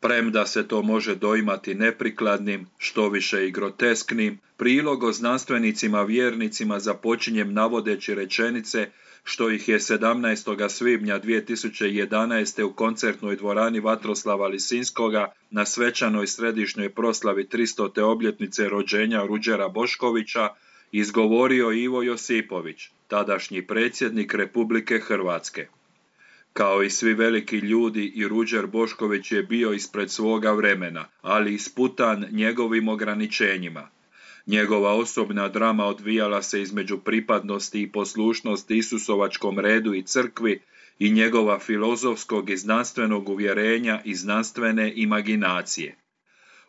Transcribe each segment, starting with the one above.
Premda se to može doimati neprikladnim, štoviše i grotesknim, prilog o znanstvenicima vjernicima započinjem navodeći rečenice što ih je 17. svibnja 2011. u koncertnoj dvorani Vatroslava Lisinskoga na svečanoj središnjoj proslavi 300. obljetnice rođenja Ruđera Boškovića izgovorio Ivo Josipović, tadašnji predsjednik Republike Hrvatske. Kao i svi veliki ljudi, i Ruđer Bošković je bio ispred svoga vremena, ali isputan njegovim ograničenjima. Njegova osobna drama odvijala se između pripadnosti i poslušnosti Isusovačkom redu i crkvi i njegova filozofskog i znanstvenog uvjerenja i znanstvene imaginacije.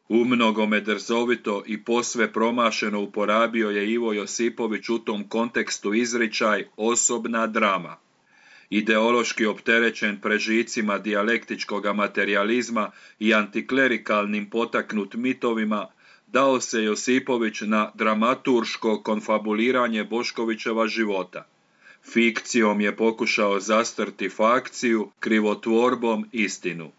Umnogome drzovito i posve promašeno uporabio je Ivo Josipović u tom kontekstu izričaj osobna drama. Ideološki opterećen prežicima dijalektičkoga materijalizma i antiklerikalnim potaknut mitovima, dao se Josipović na dramaturško konfabuliranje Boškovićeva života. Fikcijom je pokušao zastrti fakciju, krivotvorbom istinu.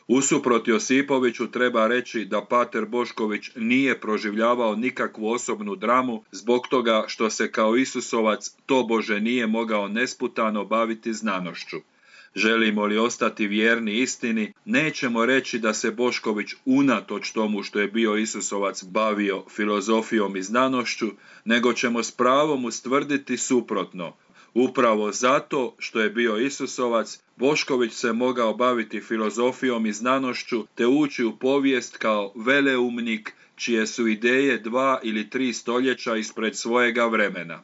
Usuprot Josipoviću treba reći da pater Bošković nije proživljavao nikakvu osobnu dramu zbog toga što se kao Isusovac tobože nije mogao nesputano baviti znanošću. Želimo li ostati vjerni istini, nećemo reći da se Bošković unatoč tomu što je bio Isusovac bavio filozofijom i znanošću, nego ćemo s pravom ustvrditi suprotno. Upravo zato što je bio Isusovac, Bošković se mogao baviti filozofijom i znanošću te ući u povijest kao veleumnik čije su ideje 2 ili 3 stoljeća ispred svojega vremena.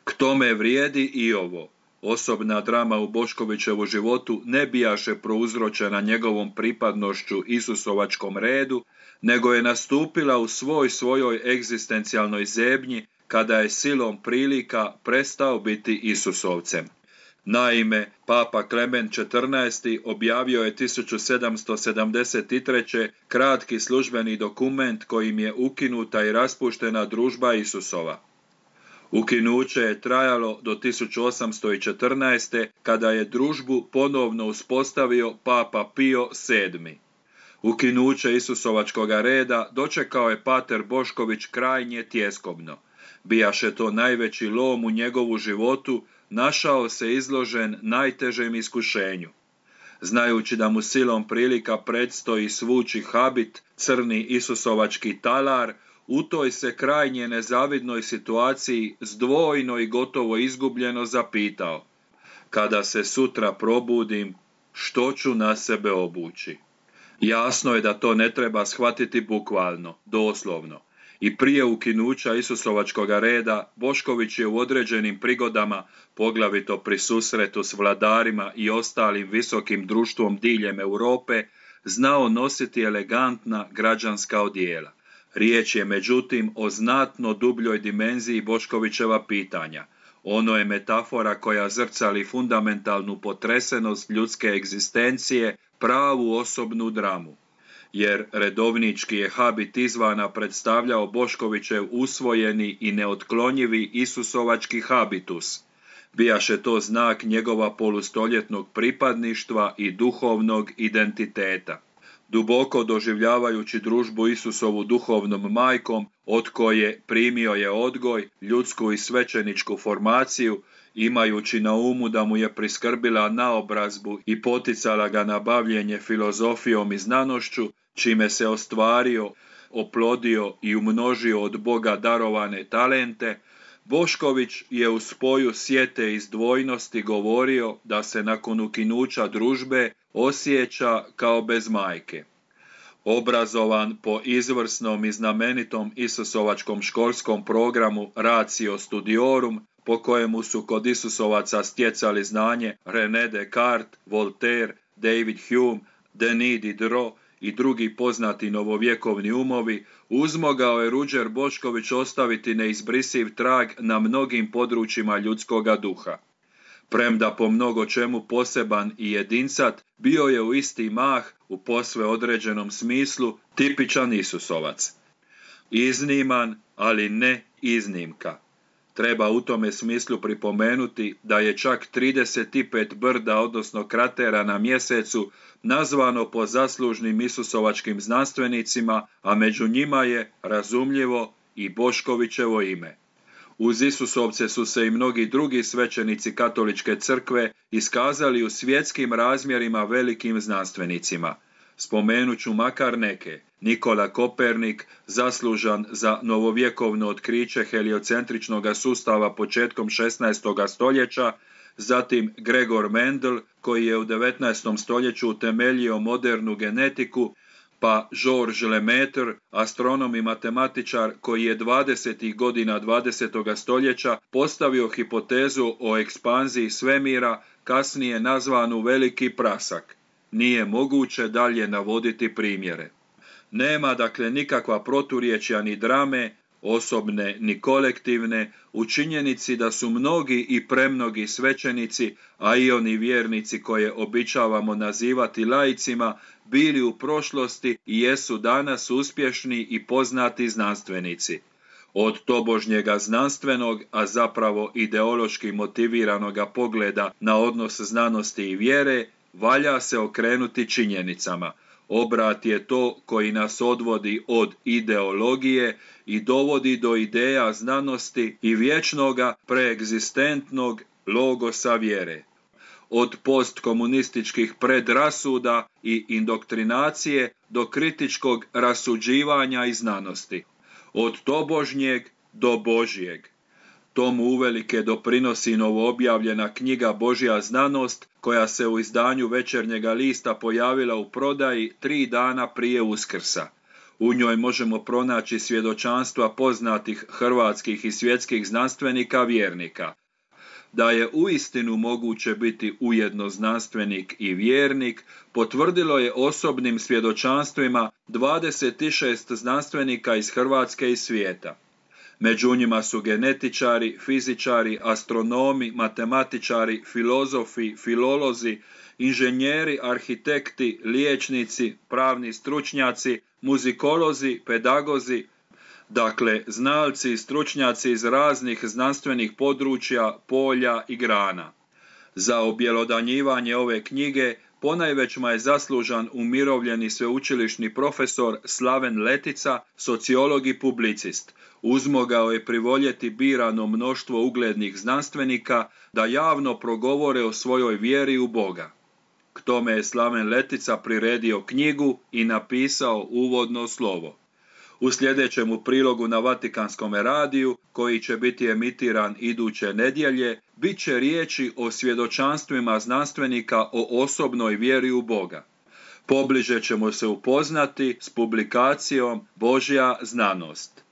K tome vrijedi i ovo. Osobna drama u Boškovićevu životu ne bijaše prouzročena njegovom pripadnošću Isusovačkom redu, nego je nastupila u svojoj egzistencijalnoj zebnji kada je silom prilika prestao biti Isusovcem. Naime, Papa Klemen XIV. Objavio je 1773. kratki službeni dokument kojim je ukinuta i raspuštena družba Isusova. Ukinuće je trajalo do 1814. kada je družbu ponovno uspostavio Papa Pio VII. Ukinuće Isusovačkoga reda dočekao je pater Bošković krajnje tjeskobno. Bijaše to najveći lom u njegovu životu, našao se izložen najtežem iskušenju. Znajući da mu silom prilika predstoji svući habit, crni Isusovački talar, u toj se krajnje nezavidnoj situaciji zdvojno i gotovo izgubljeno zapitao: kada se sutra probudim, što ću na sebe obući? Jasno je da to ne treba shvatiti bukvalno, doslovno. I prije ukinuća Isusovačkoga reda, Bošković je u određenim prigodama, poglavito pri susretu s vladarima i ostalim visokim društvom diljem Europe, znao nositi elegantna građanska odijela. Riječ je međutim o znatno dubljoj dimenziji Boškovićeva pitanja. Ono je metafora koja zrcali fundamentalnu potresenost ljudske egzistencije, pravu osobnu dramu. Jer redovnički je habit izvana predstavljao Boškovićev usvojeni i neotklonjivi Isusovački habitus. Bijaše to znak njegova polustoljetnog pripadništva i duhovnog identiteta. Duboko doživljavajući družbu Isusovu duhovnom majkom, od koje primio je odgoj, ljudsku i svećeničku formaciju, imajući na umu da mu je priskrbila naobrazbu i poticala ga na bavljenje filozofijom i znanošću, čime se ostvario, oplodio i umnožio od Boga darovane talente, Bošković je u spoju sjete i zdvojnosti govorio da se nakon ukinuća družbe osjeća kao bez majke. Obrazovan po izvrsnom i znamenitom Isusovačkom školskom programu Ratio Studiorum, po kojemu su kod Isusovaca stjecali znanje René Descartes, Voltaire, David Hume, Denis Diderot i drugi poznati novovjekovni umovi, uzmogao je Ruđer Bošković ostaviti neizbrisiv trag na mnogim područjima ljudskoga duha. Premda po mnogo čemu poseban i jedincat, bio je u isti mah, u posve određenom smislu, tipičan Isusovac. Izniman, ali ne iznimka. Treba u tome smislu pripomenuti da je čak 35 brda, odnosno kratera na mjesecu, nazvano po zaslužnim isusovačkim znanstvenicima, a među njima je, razumljivo, i Boškovićevo ime. Uz Isusovce su se i mnogi drugi svećenici katoličke crkve iskazali u svjetskim razmjerima velikim znanstvenicima. Spomenut ću makar neke: Nikola Kopernik, zaslužan za novovjekovno otkriće heliocentričnog sustava početkom 16. stoljeća, zatim Gregor Mendel, koji je u 19. stoljeću utemeljio modernu genetiku, pa Georges Lemaitre, astronom i matematičar koji je 20. godina 20. stoljeća postavio hipotezu o ekspanziji svemira, kasnije nazvanu Veliki prasak. Nije moguće dalje navoditi primjere. Nema dakle nikakva proturječja ni drame, osobne ni kolektivne, u činjenici da su mnogi i premnogi svećenici, a i oni vjernici koje običavamo nazivati laicima, bili u prošlosti i jesu danas uspješni i poznati znanstvenici. Od tobožnjega znanstvenog, a zapravo ideološki motiviranoga pogleda na odnos znanosti i vjere, valja se okrenuti činjenicama. Obrat je to koji nas odvodi od ideologije i dovodi do ideja znanosti i vječnoga preegzistentnog logosa vjere. Od postkomunističkih predrasuda i indoktrinacije do kritičkog rasuđivanja i znanosti. Od tobožnjeg do Božjeg. Tomu uvelike doprinosi novoobjavljena knjiga Božja znanost, koja se u izdanju Večernjega lista pojavila u prodaji 3 dana prije Uskrsa. U njoj možemo pronaći svjedočanstva poznatih hrvatskih i svjetskih znanstvenika vjernika. Da je uistinu moguće biti ujedno znanstvenik i vjernik, potvrdilo je osobnim svjedočanstvima 26 znanstvenika iz Hrvatske i svijeta. Među njima su genetičari, fizičari, astronomi, matematičari, filozofi, filolozi, inženjeri, arhitekti, liječnici, pravni stručnjaci, muzikolozi, pedagozi, dakle znalci i stručnjaci iz raznih znanstvenih područja, polja i grana. Za objelodanjivanje ove knjige ponajvećma je zaslužan umirovljeni sveučilišni profesor Slaven Letica, sociolog i publicist. Uzmogao je privoljeti birano mnoštvo uglednih znanstvenika da javno progovore o svojoj vjeri u Boga. K tome je Slaven Letica priredio knjigu i napisao uvodno slovo. U sljedećemu prilogu na Vatikanskom radiju, koji će biti emitiran iduće nedjelje, bit će riječi o svjedočanstvima znanstvenika o osobnoj vjeri u Boga. Pobliže ćemo se upoznati s publikacijom Božja znanost.